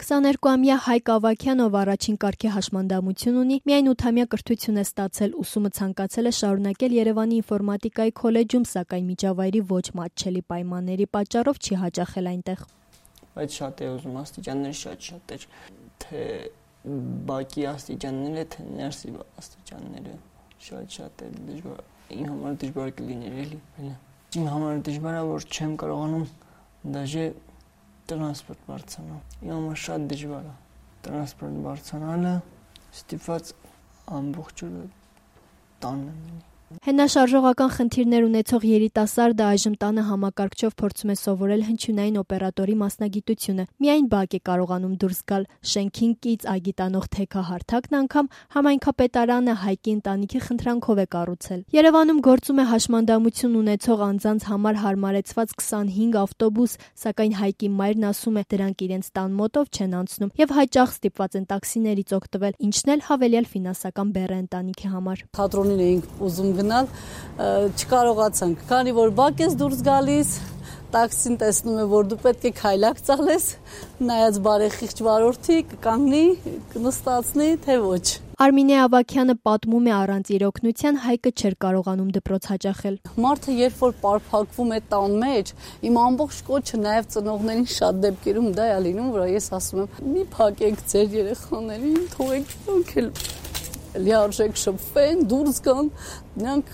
22-ամյա Հայկ Ավագյանով առաջին կարգի հաշմանդամություն ունի, միայն 8-ամյա կրթություն է ստացել, ուսումը ցանկացել է շարունակել Երևանի ինֆորմատիկայի քոլեջում, սակայն միջավայրի ոչ մատչելի պայմանների պատճառով չի հաճախել այնտեղ։ Բայց շատ է ուզում, աստիճանները շատ էր, թե բակի աստիճանները, թե ներսի աստիճանները շատ է դժվար, իմ համար դժվար կլիներ էլի, իմ համար դժվար է, որ չեմ կարողանում դաժե տրանսպորտ բարձրանալ, իմ համար շատ դժվար է տրանսպորտ բարձրանալը, ստիպված ամբողջ օրը տանն եմ լինի։ Հենաշարժողական խնդիրներ ունեցող երիտասարդը այժմ տանը համակարգչով փորձում է սովորել հնչյունային օպերատորի մասնագիտությունը։ Միայն բակ է կարողանում դուրս գալ։ Շենքին կից այգի տանող թեքահարթակն անգամ համայնքապետարանը Հայկի ընտանիքի խնդրանքով է կառուցել։ Երևանում գործում է հաշմանդամություն ունեցող անձանց համար հարմարեցված 25 ավտոբուս, սակայն Հայկի մայրն ասում է, դրանք իրենց տան մոտով չեն անցնում եւ հաճախ ստիպված են տաքսիներից օգտվել, ինչն էլ հավելյալ ֆինանսական բեռ է ընտանիքի համար։ Թատրոնին էինք ուզում գնալ, չկարողացանք, քանի որ բակ ես դուրս գալիս, տաքսին տեսնում է, որ դու պետք է քայլակ ծալես, նայած բարեխիղճ վարորդի կկանգնի, կնստացնի, թե ոչ։ Արմինե Ավագյանը պատմում է, առանց իր օգնության Հայկը չէր կարողանում դպրոց հաճախել։ Մարդը երբ որ պարփակվում է տան մեջ, իմ ամբողջ կոչը նաև ծնողներին շատ դեպքերում դա է լինում, որ ես ասում եմ՝ մի փակեք ձեր երեխաներին, թողեք նրանք էլ լիարժեք շփվեն, դուրս գան, նրանք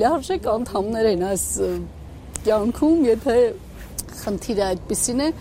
լիարժեք անդամներ են այս կյանքում, եթե խնդիրը այդպիսին է,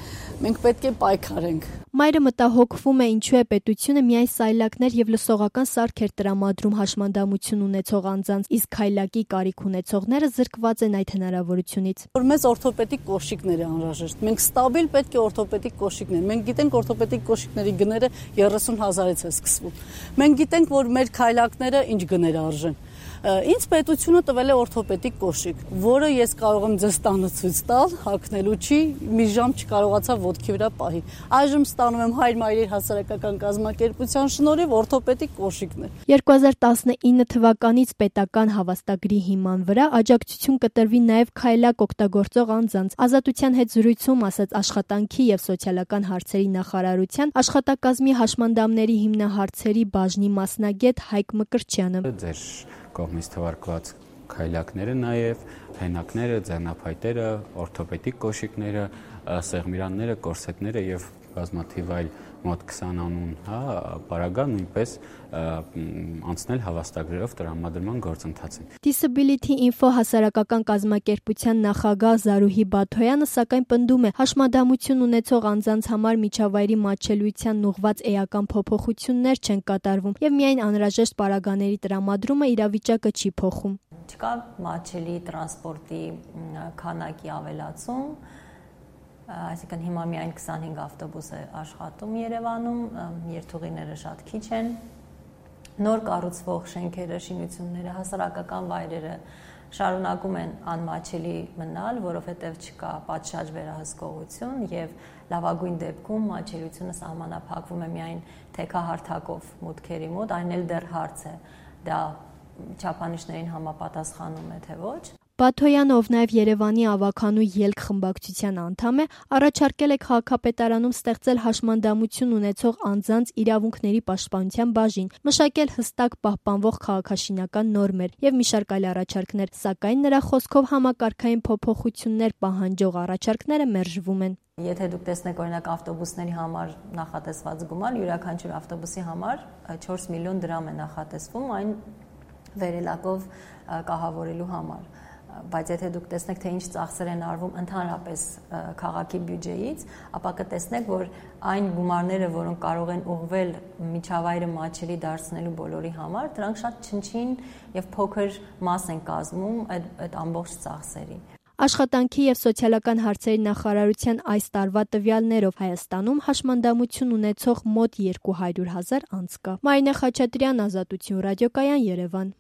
մենք պետք է պայքարենք։ Մայրը մտահոգվում է, ինչու է պետությունը միայն սայլակներ եւ լսողական սարքեր տրամադրում հաշմանդամություն ունեցող անձանց, իսկ քայլակի կարիք ունեցողները զրկված են այդ հնարավորությունից։ Որ մեզ օրթոպեդիկ կոշիկներ է անհրաժեշտ։ Մենք ստաբիլ պետք է օրթոպեդիկ կոշիկներ։ Մենք գիտենք օրթոպեդիկ կոշիկների գները 30,000-ից է սկսվում։ Մենք գիտենք, որ մեր քայլակները ինչ գներ արժեն։ Ինձ պետությունը տվել է օրթոպեդիկ կոշիկ, որը ես կարող եմ ձեզ տանը ցույց տալ, հագնելու չի, մի ժամ չկարողացա ոտքի վրա պահի։ Այժմ ստանում եմ Հայր Մայրեր հասարակական կազմակերպության շնորհիվ օրթոպեդիկ կոշիկներ։ 2019 թվականից պետական հավաստագրի հիման վրա աջակցություն կտրվի նաև քայլակ օգտագործող անձանց։ Ազատության հետ զրույցում ասաց Աշխատանքի եւ սոցիալական հարցերի նախարարության աշխատակազմի հաշմանդամների հիմնահարցերի բաժնի մասնագետ Հայկ Մկրտչյանը։ Կողմից թվարկված քայլակները նաև, հենակները, ձեռնափայտերը, օրթոպեդիկ կոշիկները, սեղմիրանները, կորսետները եւ բազմաթիվ այլ մոտ 20 անուն, պարագան նույնպես անցնել հավաստագրերով տրամադրման գործընթացին։ Disability Info հասարակական կազմակերպության նախագահ Զարուհի Բաթոյանը սակայն պնդում է, հաշմանդամություն ունեցող անձանց համար միջավայրի մատչելիությանն ուղղված էական փոփոխություններ չեն կատարվում եւ միայն անհրաժեշտ պարագաների տրամադրումը իրավիճակը չի փոխում։ Չկա մատչելի տրանսպորտի քանակի ավելացում, այսինքն հիմա միայն 25 ավտոբուս է աշխատում Երևանում, երթուղիները շատ քիչ են, նոր կառուցվող շենքերը, շինությունները, հասարակական վայրերը շարունակում են անմատչելի մնալ, որովհետև չկա պատշաճ վերահսկողություն եւ լավագույն դեպքում մատչելիությունը սահմանափակվում է միայն թեքահարթակով մուտքերի մոտ, այն էլ դեռ հարց է, դա չափանիշներին համապատասխանում է թե ոչ։ Բաթոյանը, ով նաև Երևանի ավագանու ելք խմբակցության անդամ է, առաջարկել է քաղաքապետարանում ստեղծել հաշմանդամություն ունեցող անձանց իրավունքների պաշտպանության բաժին, մշակել հստակ պահպանվող քաղաքաշինական նորմեր եւ մի շարք այլ առաջարկներ, սակայն նրա խոսքով համակարգային փոփոխություններ պահանջող առաջարկները մերժվում են։ Եթե դուք տեսնեք օրինակ ավտոբուսների համար նախատեսված գումար, յուրաքանչյուր ավտոբուսի համար 4 միլիոն դրամ է նախատեսվում այն վերելակով կահավորելու համար։ Բայց եթե դուք տեսնեք, թե ինչ ծախսեր են արվում ընդհանրապես քաղաքի բյուջեից, ապա կտեսնեք, որ այն գումարները, որոնք կարող են ուղղվել միջավայրը մատչելի դարձնելու բոլորի համար, դրանք շատ չնչին եւ փոքր մաս են կազմում այդ ամբողջ ծախսերի։ Աշխատանքի եւ սոցիալական հարցերի նախարարության այս տարվա տվյալներով Հայաստանում հաշմանդամություն ունեցող մոտ 200,000 անձ կա։ Մարինե Խաչատրյան, Ազատություն ռադիոկայան, Երևան։